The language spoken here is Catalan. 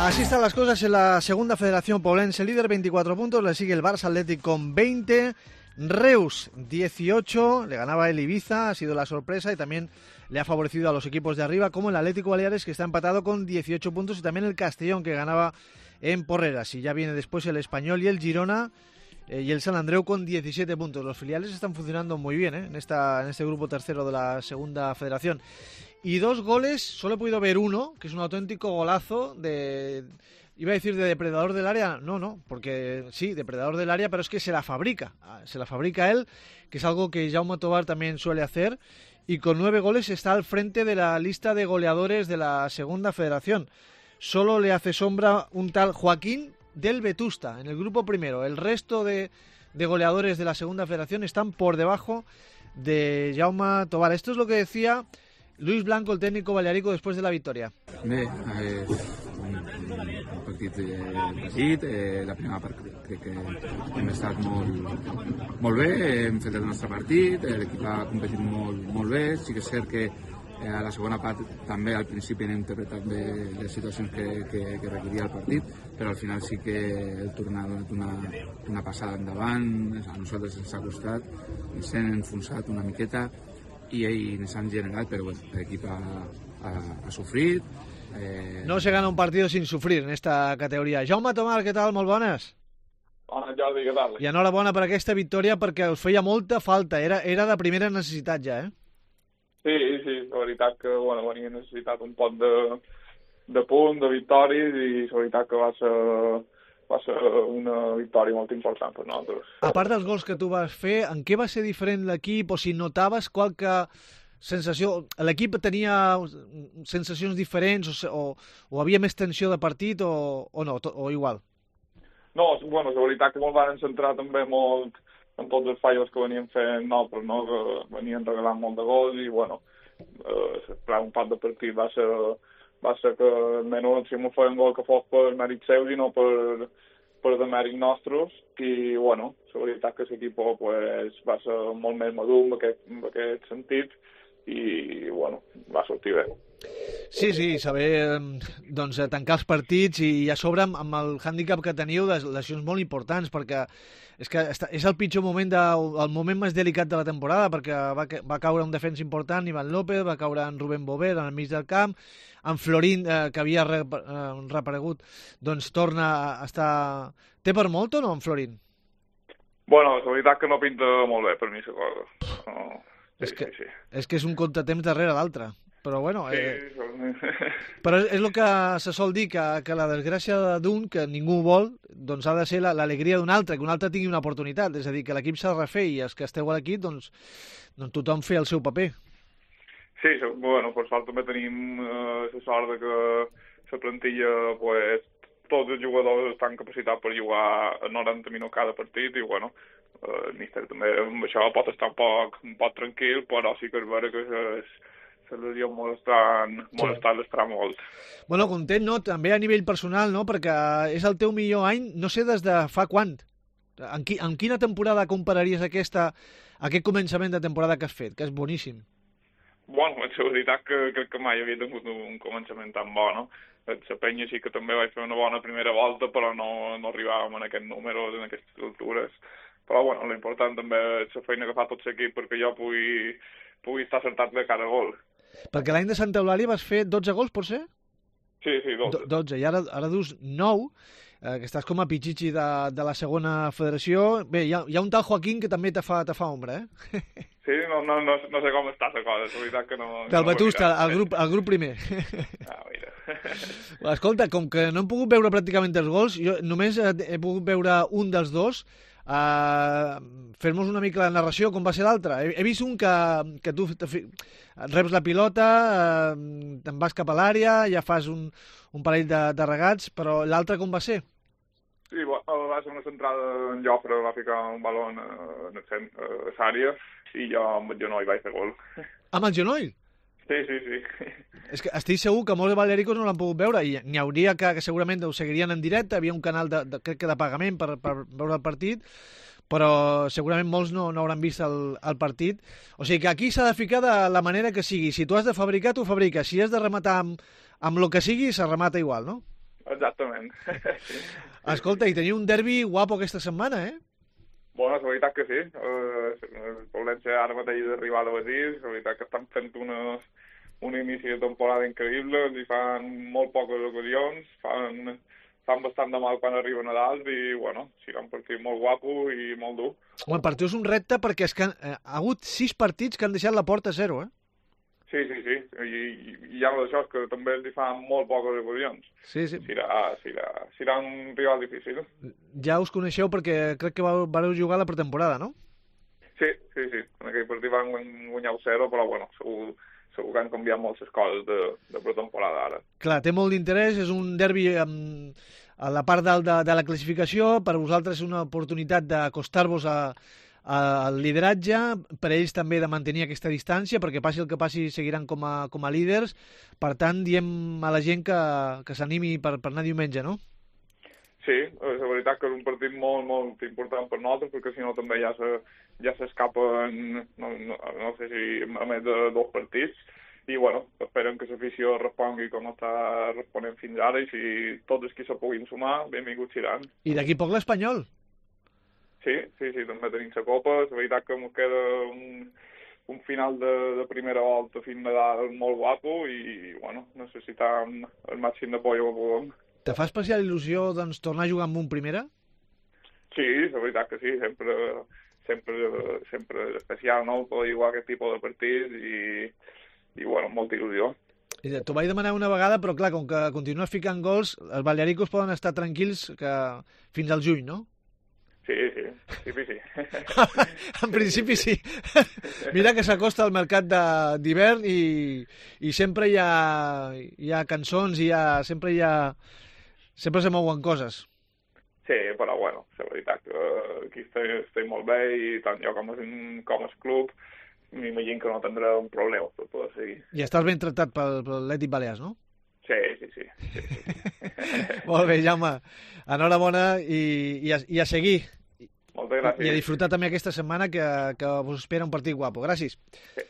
Así están las cosas en la segunda federación poblense. Líder 24 puntos, le sigue el Barça Athletic con 20. Reus 18, le ganaba el Ibiza, ha sido la sorpresa y también le ha favorecido a los equipos de arriba, como el Atlético Baleares, que está empatado con 18 puntos, y también el Castellón, que ganaba en Porreras. Y ya viene después el Español y el Girona y el Sant Andreu con 17 puntos. Los filiales están funcionando muy bien en este grupo tercero de la segunda federación. Y 2 goles, solo he podido ver uno, que es un auténtico golazo de... Iba a decir de depredador del área, no, porque sí, depredador del área, pero es que se la fabrica él, que es algo que Jaume Tobar también suele hacer, y con 9 goles está al frente de la lista de goleadores de la segunda federación. Solo le hace sombra un tal Joaquín del Vetusta en el grupo primero. El resto de goleadores de la segunda federación están por debajo de Jaume Tobar. Esto es lo que decía Luis Blanco, el técnico balearico, después de la victoria. Bé, un partit petit, la primera part crec que hem estat molt bé, hem fet el nostre partit, l'equip ha competit molt bé, sí que és cert que a la segona part també al principi hem interpretat bé les situacions que requeria el partit, però al final sí que el tornar ha donat una passada endavant, a nosaltres ens ha costat, ens hem enfonsat una miqueta i ens han generat, però bueno, l'equip ha sofrit. No se gana un partido sin sufrir en esta categoria. Jaume Tomar, què tal? Molt bones. Bona, Jordi, què tal? I enhorabona per aquesta victòria, perquè us feia molta falta, era de primera necessitat ja, Sí, la veritat que venia necessitat un poc de punt, de victòries, i la veritat que va ser una victòria molt important per nosaltres. A part dels gols que tu vas fer, en què va ser diferent l'equip, o si notaves qualque sensació? L'equip tenia sensacions diferents o havia més tensió de partit o no, o igual? No, la veritat que ens van centrar també molt en tots els fallos que venien fent nosaltres, no? Que venien regalant molt de gols i, un part de partit va ser que almenys si m'ho feien gol que fos per mèrit seus i no per de mèrit nostres, i, la veritat que l'equip va ser molt més madur en aquest sentit, i, va sortir bé. Sí, saber tancar els partits i a sobre amb el hàndicap que teniu de lesions molt importants, perquè és que és el pitjor moment, el moment més delicat de la temporada, perquè va caure un defensa important, Ivan López, va caure en Rubén Bover al mig del camp, en Florín, que havia reaparegut, doncs torna a estar... Té per molt o no, en Florín? La veritat que no pinta molt bé per mi, la cosa. Sí. És que és un contratemps darrere l'altre. Però però és el que se sol dir, que la desgràcia d'un, que ningú vol, doncs ha de ser l'alegria d'un altre, que un altre tingui una oportunitat, és a dir, que l'equip s'ha de refer, i els que esteu a l'equip, doncs tothom fer el seu paper. Sí, per sort també tenim la sort que la plantilla, tots els jugadors estan capacitats per jugar a 90 minuts cada partit, i el míster també amb això pot estar un poc tranquil, però sí que és vera que se les ha molestat l'estarà molt. Content, no? També a nivell personal, no? Perquè és el teu millor any, no sé des de fa quant. En quina temporada compararies aquest començament de temporada que has fet, que és boníssim? La veritat que crec que mai havia tingut un començament tan bo, no? La penya sí que també vaig fer una bona primera volta, però no arribàvem en aquests números, en aquestes altures. Però, l'important també és la feina que fa tot l'equip perquè jo pugui estar acertat de cada gol. Perquè l'any de Santa Eulàlia vas fer 12 gols, pot ser? Sí, 12. 12, i ara dus 9, que estàs com a pitxitxi de la segona federació. Bé, hi ha un tal Joaquín que també te fa ombra, Sí, no sé com està la cosa, és veritat que no... Del Vetusta, el grup primer. Mira. Escolta, com que no hem pogut veure pràcticament els gols, jo només he pogut veure un dels dos. Fer-nos una mica la narració, com va ser l'altre. He vist un que tu reps la pilota, te'n vas cap a l'àrea, ja fas un parell de regats, però l'altre com va ser? Sí, va ser una centrada en Jofre, va ficar un balon en l'àrea i jo amb el genoll vaig fer gol. Amb el genoll? Sí. És que estic segur que molts balearicos no l'han pogut veure, i n'hi hauria que segurament ho seguirien en directe, havia un canal crec que de pagament per veure el partit, però segurament molts no hauran vist el partit. O sigui que aquí s'ha de ficar de la manera que sigui. Si tu has de fabricar, tu fabriques. Si has de rematar amb el que sigui, se remata igual, no? Exactament. Escolta, i teniu un derbi guapo aquesta setmana, eh? Bueno, la veritat que sí. El València ara mateix d'arribar a Betis, la veritat que estan fent un inici de temporada increïble, i fan molt poques ocasions, fan bastant de mal quan arriben a dalt i, bueno, serà un partit molt guapo i molt dur. Home, per tu és un repte perquè és que ha hagut 6 partits que han deixat la porta a 0, eh? Sí. I ja d'això és que també els hi fan molt poques ocasions. Sí. Serà un rival difícil. Ja us coneixeu perquè crec que vareu jugar la pretemporada, no? Sí. En aquell partit van guanyar 0, però bueno, segur que han canviat moltes coses de pretemporada ara. Clar, té molt d'interès, és un derbi a la part dalt de la classificació, per vosaltres és una oportunitat d'acostar-vos al lideratge, per ells també de mantenir aquesta distància, perquè passi el que passi seguiran com a líders. Per tant, diem a la gent que s'animi per anar diumenge, no? Sí, la veritat que és un partit molt, molt important per nosaltres, perquè si no també ja s'escapen, no sé si a més de 2 partits, i bueno, esperem que l'afició respongui com està responent fins ara, i si tots els que se puguin sumar, benvinguts seran. I d'aquí poc l'Espanyol. Sí, també tenim la Copa, la veritat que ens queda un final de primera volta fins Nadal molt guapo i, bueno, necessitam el màxim d'apoio que puguem. Te fa especial il·lusió, doncs, tornar a jugar amb un primera? Sí, la veritat que sí, sempre és especial, no?, poder jugar aquest tipus de partits i bueno, molta il·lusió. T'ho vaig demanar una vegada, però clar, com que continues ficant gols, els balearicos poden estar tranquils fins al juny, no? Sí. En principi sí. Mira que s'acosta al mercat d'hivern i sempre hi ha cançons i sempre se mouen coses. Sí, però bueno, la veritat que aquí estem molt bé i tant jo com el club m'imagino que no tindrà un problema per poder seguir. I estàs ben tractat per l'Atlètic Balears, no? Sí. Molt bé, Jaume. Enhorabona i a seguir. Moltes gràcies. I a disfrutar també aquesta setmana que us espera un partit guapo. Gràcies. Sí.